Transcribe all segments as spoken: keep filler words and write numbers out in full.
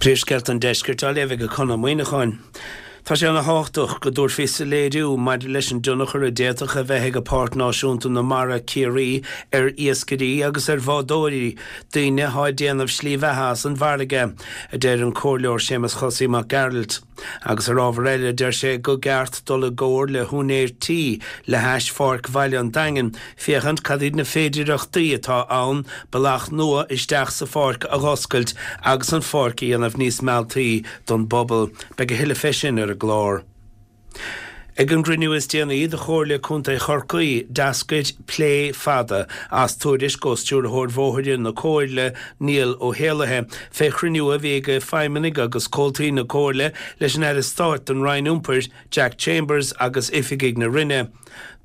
Príomhscéalta an Deiscirt á léamh ag Conn Ó Muíneacháin. Tá sé an-tábhachtach go dtabharfaí soiléiriú maidir leis an dtionchar a d'fhéadfadh a bheith ag Páirc Náisiúnta na Mara Ciarraí ar iascairí agus ar bhádóirí, daoine atá ag déanamh slí bheatha as an bhfarraige, a deir an Comhairleoir Séamus Chosaí Mac Gearailt. Agus ar ábhar eile, deir sé gur cheart dul i gcomhar le húinéir tí le hais Pháirc Bhaile an Daingin féachaint cad iad na féidireachtaí atá ann bealach nua isteach sa pháirc a dh'oscailt agus an pháirc a dhéanamh níos mealltaí don bpobal. Beidh a thuilleadh fé sin ar an gclár. Ag an gcruinniú is déanaí de Chomhairle Contae Chorcaí, d'eascair plé fada as tuairisc ó Stiúrthóir Bhóithre na Comhairle, Niall Ó hÉallaithe, fé chruinniú a bhí ag feidhmeannaigh agus comhaltaí na Comhairle leis an Aire Stáit don Roinn Iompair, Jack Chambers agus oifigigh na Roinne.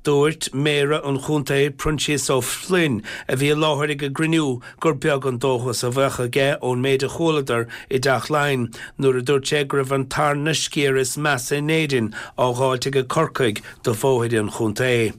Dúirt Méara an Chontae, Proinsias Ó Floinn, a bhí i láthair ag an gcruinniú, gur beag an dóchas a bheadh aige ón méid a chualadar i dTeach Laighean nuair a dúirt sé go raibh an tarna sciar is measa in Éirinn á dháilt ag Corcaigh do bhóithre an chontae.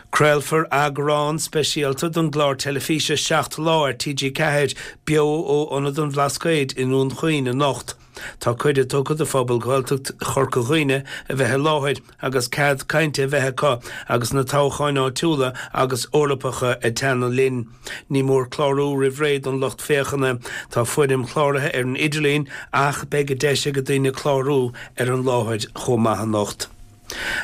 Craolfar eagrán speisialta den gclár teilifíse Seacht Lá ar T G ceathair beo ó Ionad an Bhlascaoid i nDún Chaoin anocht. Tá cuireadh tugtha do phobal Ghaeltacht Chorca Dhuibhne a bheith i láthair agus cead cainte a bheith acu agus na toghcháin áitiúla agus Eorpacha ag teannadh linn. Ní mór clárú roimh ré don lucht féachana. Tá foirm chláraithe ar an idirlíon ach beidh deis ag daoine clárú ar an láthair chomh maith anocht.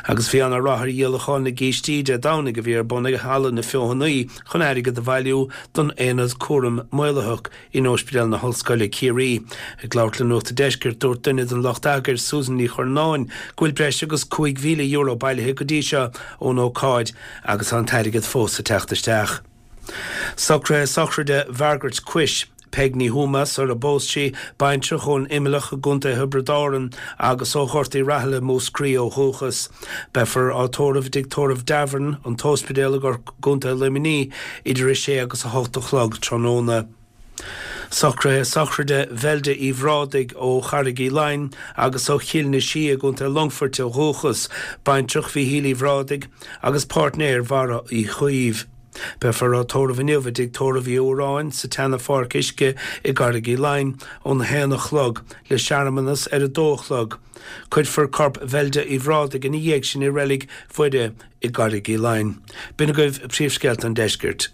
Agus bhí ana-rath ar dhíolachán na gcístí Dé Domhnaigh a bhí ar bun ag Halla na Feothanaí chun airgead a bhailiú don Aonad Cúraim Maolaitheach in Ospidéal na hOllscoile Ciarraí. Ag labhairt le Nuacht an Deiscirt, dúirt duine den lucht eagair, Susan Ní Churnáin, go bhfuil breis agus cúig mhíle euro bailithe go dtí seo ón ócáid agus tá an t-airgead fós ag teacht isteach. Socruithe sochraide Mhargaret Cuis, Peig Ní Thuama, sar a bpós sí, baintreach ón Imileach i gContae Thiobraid Árann agus ó Ghort Uí Rathaille, Múscraí ó dhúchas. Beifear á tórramh i dTigh Tórraimh Davern, an tOspidéal i gContae Luimnigh, idir a sé agus a hocht a chlog tráthnóna. Socruithe sochraide Bheilde Uí Bhrádaigh ó Charraig Uí Leighin agus ó Chill na Sí i gContae Longfoirt ó dhúchas, baintreach Mhíchíl Uí Bhrádaigh agus páirtnéir Bharra Uí Chaoimh. Beifear á tórramh inniu i dTigh Tórraimh Uí Fhuaráin sa tseana-pháirc uisce i gCarraig Uí Leighin óna haon a chlog, le searmanas ar a dó a chlog. Cuirfear corp Bheilde Uí Bhrádaigh ina dhiaidh sin i Reilig Mhuire i gCarraig Uí Leighin. B'in agaibh príomhscéalta an deiscirt.